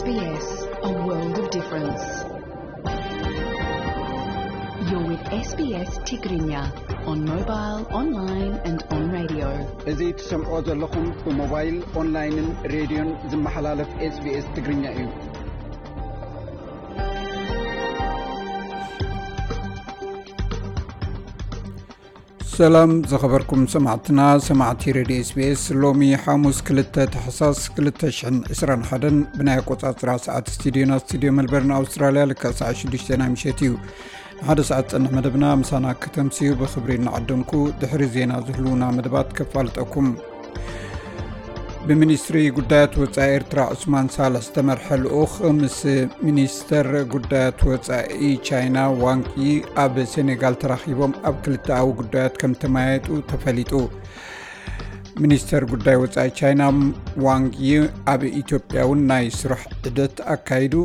S B S, a world of difference. You're with S B S Tigrinya on mobile, online and on radio. እዚ ትሰምዖ ዘለኹም ብሞባይል፣ ኦንላይንን ሬድዮን ዝመሓላለፍ S B S ትግርኛ እዩ። ሰላም ዝኸበርኩም ሰማዕትና፣ ሰማዕቲ ሬድዮ S B S። ሎሚ ሓሙስ ክልተ ታሕሳስ ክልተ ሽሕን ዕስራን ሓደን ብናይ ኣቆጻጽራ ሰዓት ስቱዲዮና፣ ስቱዲዮ መልበርን ኣውስትራልያ፣ ልክዕ ሰዓት ሽዱሽተ ናይ ምሸት እዩ። ንሓደ ሰዓት ዝጸንሕ መደብና ምሳና ከተምስዩ ብኽብሪ እናዓደምኩ፣ ድሕሪ ዜና ዝህልዉና መደባት ከፋልጠኩም። ብሚኒስትሪ ጉዳያት ወጻኢ ኤርትራ ዑስማን ሳልሕ ዝተመርሐ ልኡኽ ምስ ሚኒስተር ጉዳያት ወጻኢ ቻይና ዋንግ ዪ ኣብ ሴኔጋል ተራኺቦም ኣብ ክልተኣዊ ጉዳያት ከም ተመያየጡ ተፈሊጡ። ሚኒስተር ጉዳይ ወጻኢ ቻይና ዋንግ ዪ ኣብ ኢትዮጵያ እውን ናይ ስራሕ ዑደት ኣካይዱ።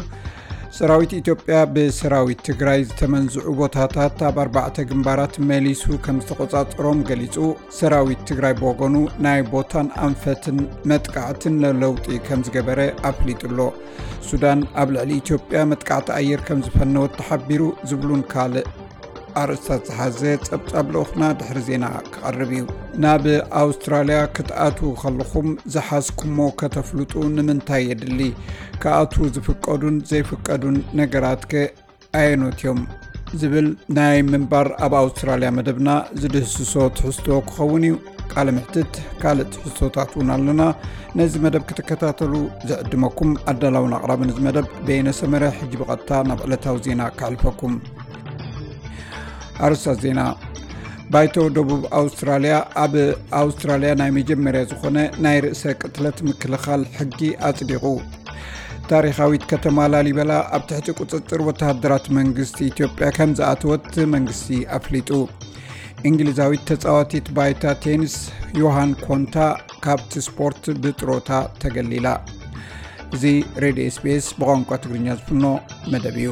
ሰራዊት ኢትዮጵያ ብሰራዊት ትግራይ ዝተመንዝዑ ቦታታት ኣብ ኣርባዕተ ግንባራት መሊሱ ከም ዝተቆጻጸሮም ገሊጹ። ሰራዊት ትግራይ ብወገኑ ናይ ቦታን ኣንፈትን መጥቃዕትን ለለውጢ ከም ዝገበረ ኣፍሊጡ ኣሎ። ሱዳን ኣብ ልዕሊ ኢትዮጵያ መጥቃዕቲ ኣየር ከም ዝፈነወት ተሓቢሩ ዝብሉን ካልእ ኣርእስታት ዝሓዘ ጸብጻብ ልኡኽና ድሕሪ ዜና ክቐርብ እዩ። ናብ ኣውስትራልያ ክትኣትዉ ከለኹም ዝሓዝኩሞ ከተፍልጡ ንምንታይ የድሊ? ክኣትዉ ዝፍቀዱን ዘይፍቀዱን ነገራትከ ኣየኖት እዮም? ዝብል ናይ ምንባር ኣብ ኣውስትራልያ መደብና ዝድህስሶ ትሕዝቶ ክኸውን እዩ። ቃለ ምሕትት፣ ካልእ ትሕዝቶታት እውን ኣለና። ነዚ መደብ ክትከታተሉ ዝዕድመኩም ኣዳላውን ኣቕራብን እዚ መደብ በየነ ሰመረ። ሕጂ ብቐጥታ ናብ ዕለታዊ ዜና ከሕልፈኩም። ኣርእስታት ዜና። ባይቶ ደቡብ ኣውስትራልያ ኣብ ኣውስትራልያ ናይ መጀመርያ ዝኾነ ናይ ርእሰ ቅትለት ምክልኻል ሕጊ ኣጽዲቑ። ታሪኻዊት ከተማ ላሊበላ ኣብ ትሕቲ ቁጽጽር ወተሃደራት መንግስቲ ኢትዮጵያ ከም ዝኣተወት መንግስቲ ኣፍሊጡ። እንግሊዛዊት ተጻዋቲት ባይታ ቴኒስ ዮሃን ኮንታ ካብቲ ስፖርት ብጥሮታ ተገሊላ። እዚ ሬድዮ S B S ብቋንቋ ትግርኛ ዝፍኖ መደብ እዩ።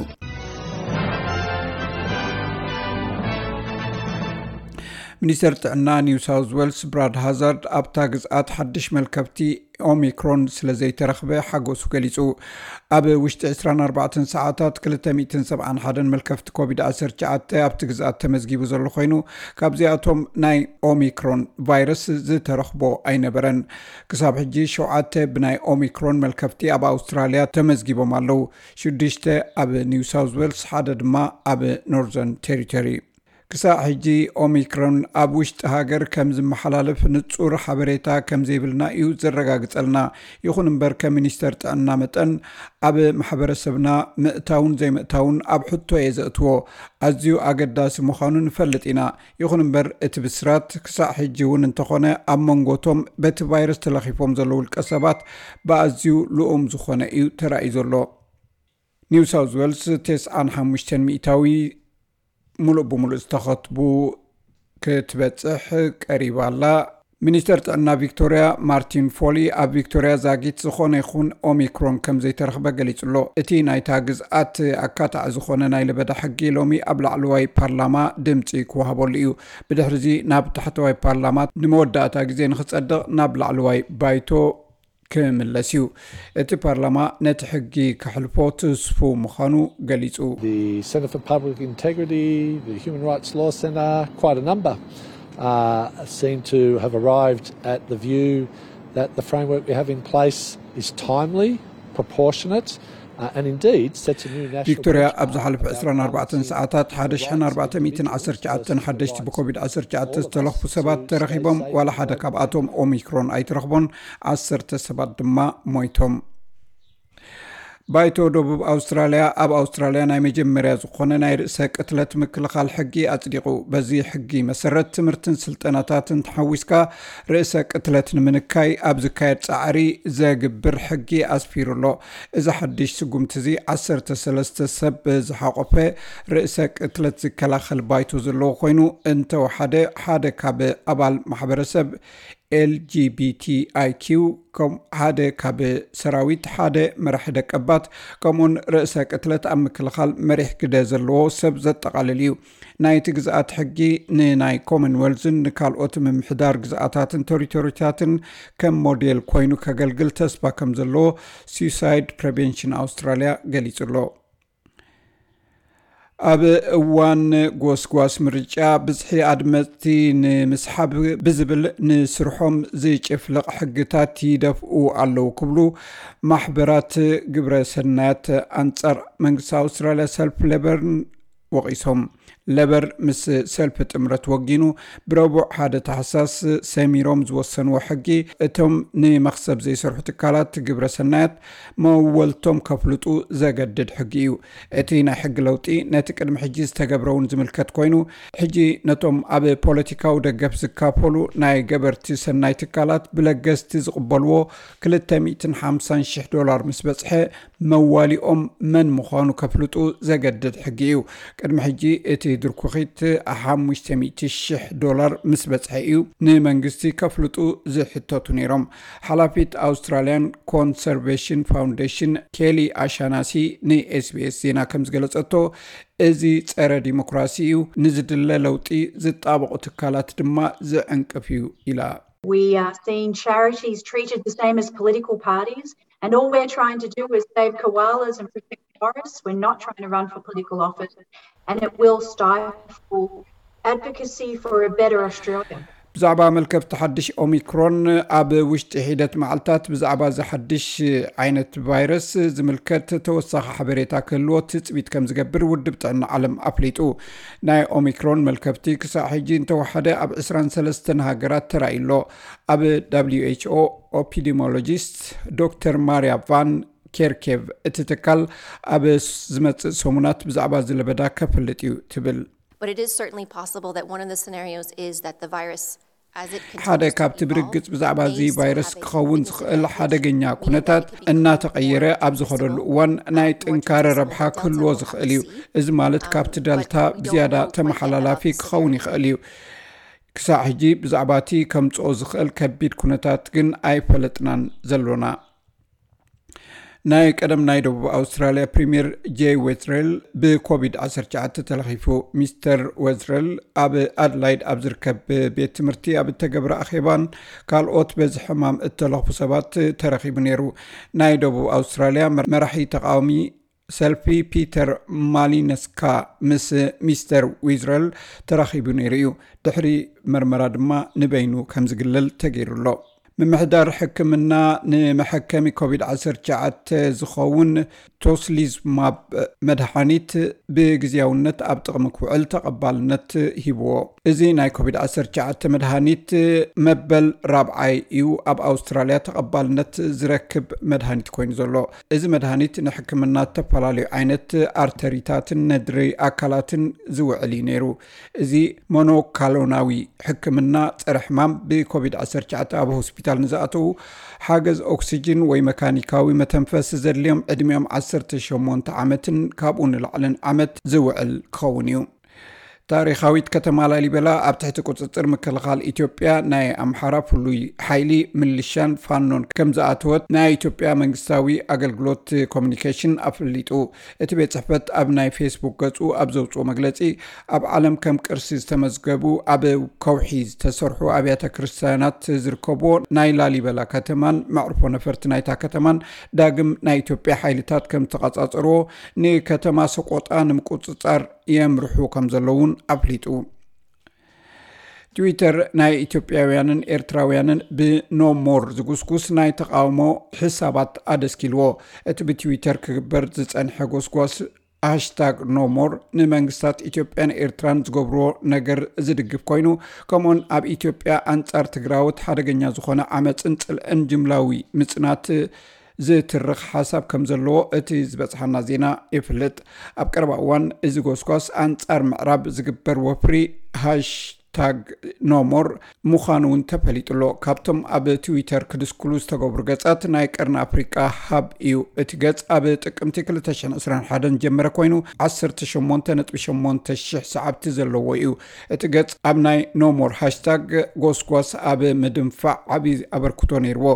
ሚኒስተር ጥዕና ኒው ሳውዝ ዌልስ ብራድ ሃዛርድ ኣብታ ግዝኣት ሓድሽ መልከፍቲ ኦሚክሮን ስለ ዘይተረኽበ ሓጎሱ ገሊጹ። ኣብ ውሽጢ ዕስራን ኣርባዕተን ሰዓታት ክልተ ሚእትን ሰብዓን ሓደን መልከፍቲ ኮቪድ ዓሰርተ ትሽዓተ ኣብቲ ግዝኣት ተመዝጊቡ ዘሎ ኮይኑ፣ ካብዚኣቶም ናይ ኦሚክሮን ቫይረስ ዝተረኽቦ ኣይነበረን። ክሳብ ሕጂ ሸውዓተ ብናይ ኦሚክሮን መልከፍቲ ኣብ ኣውስትራልያ ተመዝጊቦም ኣለዉ። ሽዱሽተ ኣብ ኒው ሳውዝ ዌልስ፣ ሓደ ድማ ኣብ ኖርዘርን ቴሪቶሪ። ክሳዕ ሕጂ ኦሚክሮን ኣብ ውሽጢ ሃገር ከም ዝመሓላለፍ ንጹር ሓበሬታ ከም ዘይብልና እዩ ዘረጋግጸልና። ይኹን እምበር፣ ከም ሚኒስተር ጥዕና መጠን፣ ኣብ ማሕበረሰብና ምእታውን ዘይምእታውን ኣብ ሕቶ እየ ዘእትዎ። ኣዝዩ ኣገዳሲ ምዃኑ ንፈልጥ ኢና። ይኹን እምበር፣ እቲ ብስራት ክሳዕ ሕጂ እውን እንተኾነ፣ ኣብ መንጎቶም በቲ ቫይረስ ተለኺፎም ዘለዉ ውልቀ ሰባት ብኣዝዩ ልኡም ዝኾነ እዩ ተራእዩ ዘሎ። ኒው ሳውዝ ዌልስ ተስዓን ሓሙሽተን ሚእታዊ ምሉእ ብምሉእ ዝተኸትቡ ክትበጽሕ ቀሪባ ኣላ። ሚኒስተር ጥዕና ቪክቶርያ ማርቲን ፎሊ ኣብ ቪክቶርያ ዛጊት ዝኾነ ይኹን ኦሚክሮን ከም ዘይተረኽበ ገሊጹ ኣሎ። እቲ ናይታ ግዝኣት ኣካታዒ ዝኾነ ናይ ለበዳ ሕጊ ሎሚ ኣብ ላዕለዋይ ፓርላማ ድምጺ ክወሃበሉ እዩ። ብድሕሪዚ ናብ ታሕተዋይ ፓርላማ ንመወዳእታ ግዜ ንኽጸድቕ ናብ ላዕለዋይ ባይቶ ክምለስ እዩ። እቲ ፓርላማ ነቲ ሕጊ ከሕልፎ ትስፉው ምዃኑ ገሊጹ። The Centre for Public Integrity, the Human Rights Law Centre, quite a number, uh, seem to have arrived at the view that the framework we have in place is timely, proportionate, uh, and indeed sets a new national ቪክቶርያ ኣብ ዝሓለፈ ዕስራን ኣርባዕተን ሰዓታት ሓደ ሽሕን ኣርባዕተ ሚእትን ዓሰርተ ትሽዓተን ሓደሽቲ ብኮቪድ ዓሰርተ ትሽዓተ ዝተለኽፉ ሰባት ተረኺቦም፣ ዋላ ሓደ ካብኣቶም ኦሚክሮን ኣይተረኽቦን፣ ዓሰርተ ሰባት ድማ ሞይቶም። ባይቶ ደቡብ ኣውስትራልያ ኣብ ኣውስትራልያ ናይ መጀመርያ ዝኾነ ናይ ርእሰ ቅትለት ምክልኻል ሕጊ ኣጽዲቑ። በዚ ሕጊ መሰረት ትምህርትን ስልጠናታትን ተሓዊስካ ርእሰ ቅትለት ንምንካይ ኣብ ዝካየድ ጻዕሪ ዘግብር ሕጊ ኣስፊሩ ኣሎ። እዚ ሓድሽ ስጉምቲ እዚ ዓሰርተ ሰለስተ ሰብ ዝሓቖፈ ርእሰ ቅትለት ዝከላኸል ባይቶ ዘለዎ ኮይኑ፣ እንተወሓደ ሓደ ካብ ኣባል ማሕበረሰብ ኤልጂቢቲኣይኪው ከም ሓደ ካብ ሰራዊት፣ ሓደ መራሒ ደቀባት፣ ከምኡን ርእሰ ቅትለት ኣብ ምክልኻል መሪሕ ግደ ዘለዎ ሰብ ዘጠቓልል እዩ። ናይቲ ግዝኣት ሕጊ ንናይ ኮመንዌልዝን ንካልኦት ምምሕዳር ግዝኣታትን ቴሪቶሪታትን ከም ሞዴል ኮይኑ ከገልግል ተስፋ ከም ዘለዎ ሱሳይድ ፕሬቨንሽን ኣውስትራልያ ገሊጹ ኣሎ። ኣብ እዋን ጎስጓስ ምርጫ ብዝሒ ኣድመፅቲ ንምስሓብ ብዝብል ንስርሖም ዝጭፍልቕ ሕግታት ይደፍኡ ኣለዉ ክብሉ ማሕበራት ግብረ ሰናያት ኣንጻር መንግስቲ ኣውስትራልያ ሰልፍ ሌበርን ወቒሶም። ለበር ምስ ሰልፊ ጥምረት ወጊኑ ብረቡዕ ሓደ ታሕሳስ ሰሚሮም ዝወሰንዎ ሕጊ እቶም ንመኽሰብ ዘይሰርሑ ትካላት ግብረ ሰናያት መወልቶም ከፍልጡ ዘገድድ ሕጊ እዩ። እቲ ናይ ሕጊ ለውጢ ነቲ ቅድሚ ሕጂ ዝተገብረ እውን ዝምልከት ኮይኑ፣ ሕጂ ነቶም ኣብ ፖለቲካዊ ደገፍ ዝካፈሉ ናይ ገበርቲ ሰናይ ትካላት ብለገስቲ ዝቕበልዎ ክልተ ሚእትን ሓምሳን ሽሕ ዶላር ምስ በጽሐ መዋሊኦም መን ምዃኑ ከፍልጡ ዘገድድ ሕጊ እዩ። ቅድሚ ሕጂ እቲ ድርኩኺት ሓሙሽተ ሚእቲ ሽሕ ዶላር ምስ በጽሐ እዩ ንመንግስቲ ከፍልጡ ዝሕተቱ ነይሮም። ሓላፊት ኣውስትራልያን ኮንሰርቬሽን ፋውንዴሽን ኬሊ ኣሻናሲ ንኤስቢኤስ ዜና ከም ዝገለጸቶ፣ እዚ ጸረ ዲሞክራሲ እዩ፣ ንዝድለ ለውጢ ዝጣበቑ ትካላት ድማ ዝዕንቅፍ እዩ ኢላ። We are seeing charities treated the same as political parties, and all we're trying to do is save koalas and protect forests. We're not trying to run for political office, and it will stifle advocacy for a better Australia. ብዛዕባ መልከፍቲ ሓድሽ ኦሚክሮን ኣብ ውሽጢ ሒደት መዓልታት ብዛዕባ እዚ ሓድሽ ዓይነት ቫይረስ ዝምልከት ተወሳኺ ሓበሬታ ክህልዎ ትጽቢት ከም ዝገብር ውድብ ጥዕና ዓለም ኣፍሊጡ። ናይ ኦሚክሮን መልከፍቲ ክሳዕ ሕጂ እንተወሓደ ኣብ ዕስራን ሰለስተን ሃገራት ተራእዩ ኣሎ። ኣብ ደብሊው ኤች ኦ ኦፒዲሞሎጂስት ዶክተር ማርያ ቫን ኬርኬቭ፣ እቲ ትካል ኣብ ዝመጽእ ሰሙናት ብዛዕባ እዚ ለበዳ ከፍልጥ እዩ ትብል። But it is certainly possible that one of the scenarios is that the virus, as it continues to evolve, ሓደ ካብቲ ብርግጽ ብዛዕባ እዚ ቫይረስ ክኸውን ዝኽእል ሓደገኛ ኩነታት እናተቐየረ ኣብ ዝኸደሉ እዋን ናይ ጥንካረ ረብሓ ክህልዎ ዝኽእል እዩ። እዚ ማለት ካብቲ ደልታ ብዝያዳ ተመሓላላፊ ክኸውን ይኽእል እዩ። ክሳዕ ሕጂ ብዛዕባ እቲ ከምጽኦ ዝኽእል ከቢድ ኩነታት ግን ኣይፈለጥናን ዘሎና። ናይ ቀደም ናይ ደቡብ ኣውስትራልያ ፕሪምየር ጄይ ዌዝሬል ብኮቪድ ዓሰርተ ትሽዓተ ተለኺፉ። ሚስተር ዌዝሬል ኣብ ኣድላይድ ኣብ ዝርከብ ቤት ትምህርቲ ኣብ እተገብረ ኣኼባን ካልኦት በዚ ሕማም እተለኽፉ ሰባት ተረኺቡ ነይሩ። ናይ ደቡብ ኣውስትራልያ መራሒ ተቃዋሚ ሰልፊ ፒተር ማሊነስካ ምስ ሚስተር ዊዝረል ተራኺቡ ነይሩ እዩ። ድሕሪ መርመራ ድማ ንበይኑ ከም ዝግለል ተገይሩ ኣሎ። ምምሕዳር ሕክምና ንመሐከሚ ኮቪድ ዓሰርተ ትሽዓተ ዝኸውን ቶስሊዝማብ መድሓኒት ብግዜያውነት ኣብ ጥቕሚ ክውዕል ተቐባልነት ሂብዎ። እዚ ናይ ኮቪድ ዓሰርተ ትሽዓተ መድሃኒት መበል ራብዓይ እዩ ኣብ ኣውስትራልያ ተቐባልነት ዝረክብ መድሃኒት ኮይኑ ዘሎ። እዚ መድሃኒት ንሕክምና ዝተፈላለዩ ዓይነት ኣርተሪታትን ነድሪ ኣካላትን ዝውዕል እዩ ነይሩ። እዚ ሞኖካሎናዊ ሕክምና ጸረ ሕማም ብኮቪድ ዓሰርተ ትሽዓተ ኣብ ሆስፒታል ንዝኣተዉ ሓገዝ ኦክሲጅን ወይ መካኒካዊ መተንፈሲ ዘድልዮም ዕድሚኦም ዓሰርተ ሸሞንተ ዓመትን ካብኡ ንላዕልን ዓመት ዝውዕል ክኸውን እዩ። ታሪኻዊት ከተማ ላሊበላ ኣብ ትሕቲ ቁጽጽር ምክልኻል ኢትዮጵያ፣ ናይ ኣምሓራ ፍሉይ ሓይሊ፣ ምልሻን ፋኖን ከም ዝኣተወት ናይ ኢትዮጵያ መንግስታዊ ኣገልግሎት ኮሚኒኬሽን ኣፍሊጡ። እቲ ቤት ጽሕፈት ኣብ ናይ ፌስቡክ ገጹ ኣብ ዘውጽኦ መግለጺ፣ ኣብ ዓለም ከም ቅርሲ ዝተመዝገቡ ኣብ ከውሒ ዝተሰርሑ ኣብያተ ክርስቲያናት ዝርከብዎ ናይ ላሊበላ ከተማን መዕርፎ ነፈርቲ ናይታ ከተማን ዳግም ናይ ኢትዮጵያ ሓይልታት ከም ዝተቐጻጸርዎ፣ ንከተማ ሰቆጣ ንምቁጽጻር የምርሑ ከም ዘለውን ኣፍሊጡ። ትዊተር ናይ ኢትዮጵያውያንን ኤርትራውያንን ብኖ ሞር ዝጉስጉስ ናይ ተቃውሞ ሕሳባት ኣደስኪልዎ። እቲ ብትዊተር ክግበር ዝጸንሐ ጎስጓስ ሃሽታግ ኖ ሞር ንመንግስታት ኢትዮጵያን ኤርትራን ዝገብርዎ ነገር ዝድግፍ ኮይኑ፣ ከምኡን ኣብ ኢትዮጵያ ኣንጻር ትግራዎት ሓደገኛ ዝኾነ ዓመፅን ጽልእን ጅምላዊ ምጽናት ዝትርኽ ሓሳብ ከም ዘለዎ እቲ ዝበጽሓና ዜና ይፍልጥ። ኣብ ቀረባ እዋን እዚ ጎስጓስ ኣንጻር ምዕራብ ዝግበር ወፍሪ ሃሽ ሃሽታግ ኖሞር ምዃኑ እውን ተፈሊጡ ኣሎ። ካብቶም ኣብ ትዊተር ክድስክሉ ዝተገብሩ ገጻት ናይ ቀርኒ ኣፍሪቃ ሃብ እዩ። እቲ ገጽ ኣብ ጥቅምቲ ክልተ ሽሕን ዕስራን ሓደን ጀመረ ኮይኑ፣ ዓሰርተ ሸሞንተ ነጥቢ ሸሞንተ ሽሕ ሰዓብቲ ዘለዎ እዩ። እቲ ገጽ ኣብ ናይ ኖሞር ሃሽታግ ጎስጓስ ኣብ ምድንፋዕ ዓቢ ኣበርክቶ ነይርዎ።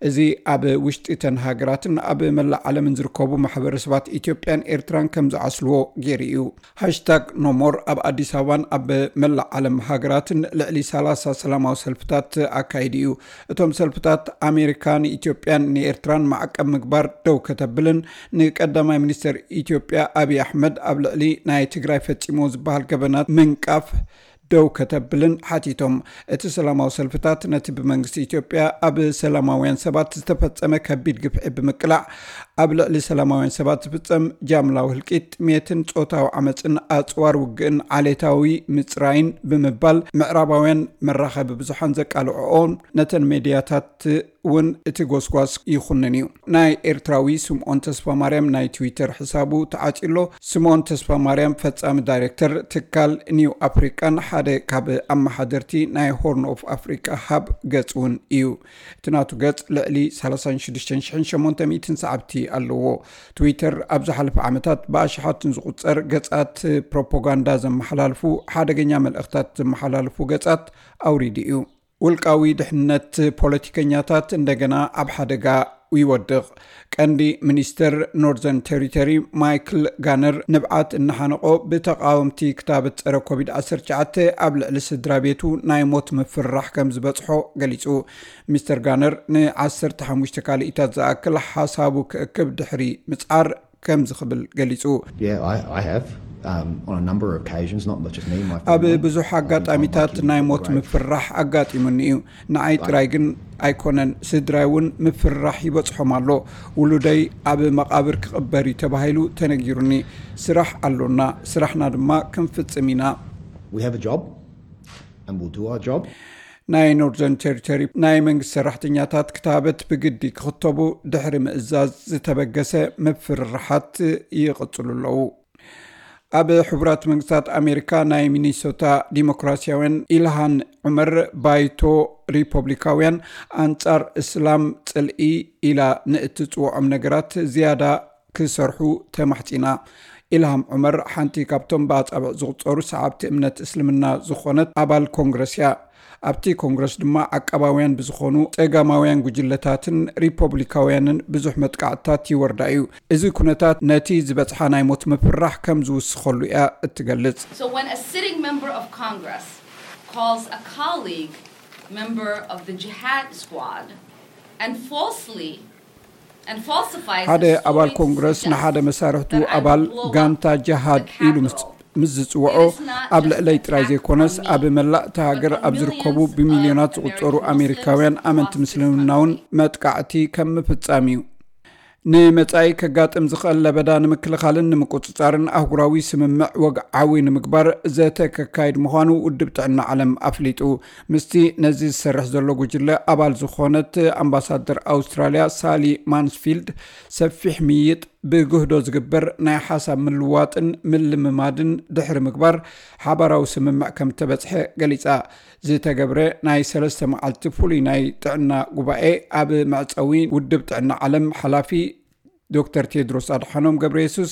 እዚ ኣብ ውሽጢ እተን ሃገራትን ኣብ መላእ ዓለምን ዝርከቡ ማሕበረሰባት ኢትዮጵያን ኤርትራን ከም ዝዓስልዎ ገይሩ እዩ። ሃሽታግ ኖሞር ኣብ ኣዲስ ኣበባን ኣብ መላእ ዓለም ሃገራትን ልዕሊ ሰላሳ ሰላማዊ ሰልፍታት ኣካይዱ እዩ። እቶም ሰልፍታት ኣሜሪካ ንኢትዮጵያን ንኤርትራን ማዕቀብ ምግባር ደው ከተብልን ንቀዳማይ ሚኒስተር ኢትዮጵያ ኣብይ ኣሕመድ ኣብ ልዕሊ ናይ ትግራይ ፈጺሞ ዝበሃል ገበናት ምንቃፍ ደው ከተብልን ሓቲቶም። እቲ ሰላማዊ ሰልፍታት ነቲ ብመንግስቲ ኢትዮጵያ ኣብ ሰላማውያን ሰባት ዝተፈጸመ ከቢድ ግፍዒ ብምቅላዕ፣ ኣብ ልዕሊ ሰላማውያን ሰባት ዝፍጸም ጃምላዊ ህልቂት፣ ጥሜትን ጾታዊ ዓመጽን ኣጽዋር ውግእን ዓሌታዊ ምጽራይን ብምባል ምዕራባውያን መራኸቢ ብዙሓን ዘቃልዕኦ ነተን ሜድያታት እውን እቲ ጎስጓስ ይኹንን እዩ። ናይ ኤርትራዊ ስምዖን ተስፋ ማርያም ናይ ትዊተር ሕሳቡ ተዓጺሎ። ስምዖን ተስፋ ማርያም ፈጻሚ ዳይሬክተር ትካል ኒው ኣፍሪቃን ሓደ ካብ ኣመሓደርቲ ናይ ሆርን ኦፍ ኣፍሪቃ ሃብ ገጽ እውን እዩ። እቲ ናቱ ገጽ ልዕሊ ሰላሳ ሽዱሽተ ሽሕን ሸሞንተ ሚእትን ሰዓብቲ ኣለዎ። ትዊተር ኣብ ዝሓለፈ ዓመታት ብኣሽሓትን ዝቑጸር ገጻት ፕሮፓጋንዳ ዘመሓላልፉ ሓደገኛ መልእኽታት ዘመሓላልፉ ገጻት ኣውሪዱ እዩ። ውልቃዊ ድሕነት ፖለቲከኛታት እንደገና ኣብ ሓደጋ ይወድቕ። ቀንዲ ሚኒስተር ኖርዘርን ቴሪቶሪ ማይክል ጋነር ንብዓት እናሓነቆ ብተቃወምቲ ክታበት ጸረ ኮቪድ ዓሰርተ ትሽዓተ ኣብ ልዕሊ ስድራ ቤቱ ናይ ሞት ምፍርራሕ ከም ዝበጽሖ ገሊጹ። ሚስተር ጋነር ንዓሰርተ ሓሙሽተ ካልኢታት ዝኣክል ሓሳቡ ክእክብ ድሕሪ ምጽዓር ከምዚ ክብል ገሊጹ። Yeah, I, I have. Um, on a number of occasions, not just me, my ኣብ family. ብዙሕ ኣጋጣሚታት ናይ ሞት ምፍራሕ ኣጋጢሙኒ እዩ። ንዓይ ጥራይ ግን ኣይኮነን፣ ስድራይ እውን ምፍራሕ ይበጽሖም ኣሎ። ውሉደይ ኣብ መቓብር ክቕበር እዩ ተባሂሉ ተነጊሩኒ። ስራሕ ኣሎና፣ ስራሕና ድማ ክንፍጽም ኢና። We have a job, and we'll do our job. ናይ ኖርዘርን ቴሪቶሪ ናይ መንግስቲ ሰራሕተኛታት ክታበት ብግዲ ክኽተቡ ድሕሪ ምእዛዝ ዝተበገሰ ምፍርርሓት ይቕጽሉ ኣለዉ። ኣብ ሕቡራት መንግስታት ኣሜሪካ ናይ ሚኒሶታ ዲሞክራሲያውያን ኢልሃን ዑመር ባይቶ ሪፐብሊካውያን ኣንጻር እስላም ጽልኢ ኢላ ንእትጽውዖም ነገራት ዝያዳ ክሰርሑ ተማሕጺና። ኢልሃም ዑመር ሓንቲ ካብቶም ብኣጻብዕ ዝቑጸሩ ሰዓብቲ እምነት እስልምና ዝኾነት ኣባል ኮንግረስ እያ። ኣብቲ ኮንግረስ ድማ ዓቃባውያን ብዝኾኑ ጸጋማውያን ጉጅለታትን ሪፐብሊካውያንን ብዙሕ መጥቃዕትታት ይወርዳ እዩ። እዚ ኩነታት ነቲ ዝበጽሓ ናይ ሞት ምፍራሕ ከም ዝውስኸሉ እያ እትገልጽ። So when a sitting member of Congress calls a colleague member of the jihad squad and falsely and falsifies ሓደ a ኣባል story to ኮንግረስ ንሓደ suggest መሳርሕቱ that I ኣባል would blow up ጋንታ ጅሃድ the ኢሉ ምስ Capitol. ምስ ዝጽውዖ ኣብ ልዕለይ ጥራይ ዘይኮነስ ኣብ መላእ እታ ሃገር ኣብ ዝርከቡ ብሚልዮናት ዝቑጸሩ ኣሜሪካውያን ኣመንቲ ምስልምና እውን መጥቃዕቲ ከም ምፍጻም እዩ። ንመጻኢ ከጋጥም ዝኽእል ለበዳ ንምክልኻልን ንምቁጽጻርን ኣህጉራዊ ስምምዕ ወግዓዊ ንምግባር ዘተ ከካይድ ምዃኑ ውድብ ጥዕና ዓለም ኣፍሊጡ። ምስቲ ነዚ ዝሰርሕ ዘሎ ጉጅለ ኣባል ዝኾነት ኣምባሳደር ኣውስትራልያ ሳሊ ማንስፊልድ ሰፊሕ ምይይጥ ብግህዶ ዝግበር ናይ ሓሳብ ምልዋጥን ምልምማድን ድሕሪ ምግባር ሓባራዊ ስምምዕ ከም ተበጽሐ ገሊጻ። ዝተገብረ ናይ ሰለስተ መዓልቲ ፍሉይ ናይ ጥዕና ጉባኤ ኣብ መዕጸዊ ውድብ ጥዕና ዓለም ሓላፊ ዶክተር ቴድሮስ ኣድሓኖም ገብረ የሱስ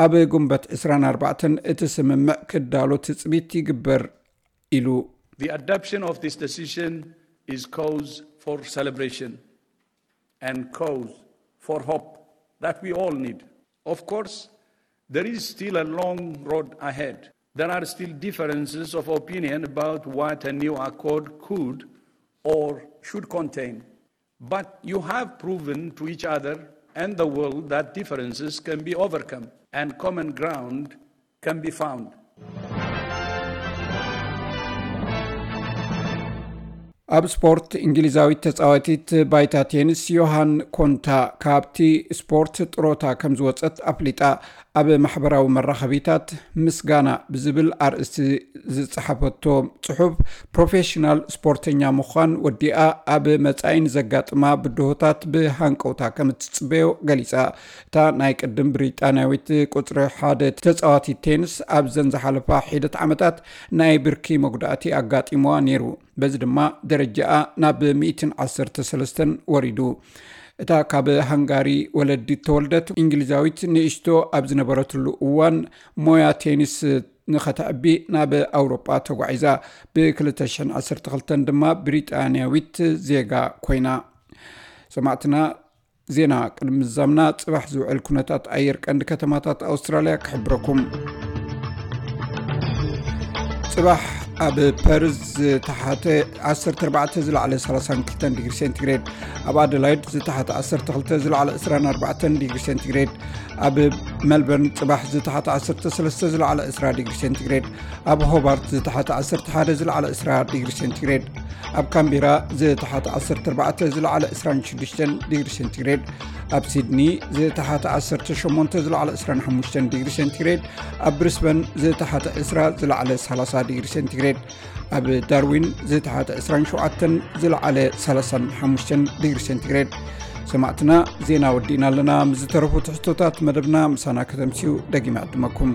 ኣብ ጉንበት ዕስራን ኣርባዕተን እቲ ስምምዕ ክዳሎ ትጽቢት ይግበር ኢሉ። The adoption of this decision is cause for celebration and cause for hope that we all need. Of course, there is still a long road ahead. There are still differences of opinion about what a new accord could or should contain. But you have proven to each other and the world that differences can be overcome and common ground can be found. ኣብ ስፖርት፣ እንግሊዛዊት ተጻዋቲት ባይታ ቴኒስ ዮሃን ኮንታ ካብቲ ስፖርት ጥሮታ ከም ዝወጸት ኣፍሊጣ። ኣብ ማሕበራዊ መራኸቢታት ምስጋና ብዝብል ኣርእስቲ ዝጸሓፈቶ ጽሑፍ፣ ፕሮፌሽናል ስፖርተኛ ምዃን ወዲኣ ኣብ መጻኢ ንዘጋጥማ ብድሆታት ብሃንቀውታ ከም እትጽበዮ ገሊጻ። እታ ናይ ቅድም ብሪጣንያዊት ቁጽሪ ሓደ ተጻዋቲት ቴኒስ ኣብዘን ዝሓለፋ ሒደት ዓመታት ናይ ብርኪ መጉዳእቲ ኣጋጢሞዋ ነይሩ። በዚ ድማ ደረጃኣ ናብ ሚእትን ዓሰርተ ሰለስተን ወሪዱ። እታ ካብ ሃንጋሪ ወለዲ ተወልደት እንግሊዛዊት ንእሽቶ ኣብ ዝነበረትሉ እዋን ሞያ ቴኒስ ንኸተዕቢ ናብ ኣውሮጳ ተጓዒዛ። ብ ክልተ ሽሕን ዓሰርተ ክልተን ድማ ብሪጣንያዊት ዜጋ ኮይና። ሰማዕትና፣ ዜና ቅድሚ ምዛምና ጽባሕ ዝውዕል ኩነታት ኣየር ቀንዲ ከተማታት ኣውስትራልያ ክሕብረኩም። ጽባሕ ኣብ ፐርዝ ዝተሓተ ዓሰርተ ኣርባዕተ፣ ዝለዓለ ሰላሳን ክልተን ዲግሪ ሴንቲግሬድ፣ ኣብ ኣደላይድ ዝተሓተ ዓሰርተ ክልተ፣ ዝለዓለ ዕስራን ኣርባዕተን ዲግሪ ሴንቲግሬድ፣ ኣብ ሜልበርን ጽባሕ ዝተሓተ ዓሰርተ ሰለስተ፣ ዝለዓለ ዕስራ ዲግሪ ሴንቲግሬድ፣ ኣብ ሆባርት ዝተሓተ ዓሰርተ ሓደ፣ ዝለዓለ ዕስራ ዲግሪ ሴንቲግሬድ፣ ኣብ ካምቤራ ዝተሓተ ዓሰርተ ኣርባዕተ፣ ዝለዓለ ዕስራን ሽዱሽተን ዲግሪ ሴንቲግሬድ፣ ኣብ ሲድኒ ዝተሓተ ዓሰርተ ሸሞንተ፣ ዝለዓለ ዕስራን ሓሙሽተን ዲግሪ ሴንቲግሬድ፣ ኣብ ብሪስበን ዝተሓተ ዕስራ፣ ዝለዓለ ሰላሳ ዲግሪ ሴንቲግሬድ፣ ኣብ ዳርዊን ዝተሓተ ዕስራን ሸውዓተን፣ ዝለዓለ ሰላሳን ሓሙሽተን ዲግሪ ሴንቲግሬድ። ሰማዕትና፣ ዜና ወዲእና ኣለና። ምስ ዝተረፉ ትሕዝቶታት መደብና ምሳና ከተምስዩ ደጊመ ዕድመኩም።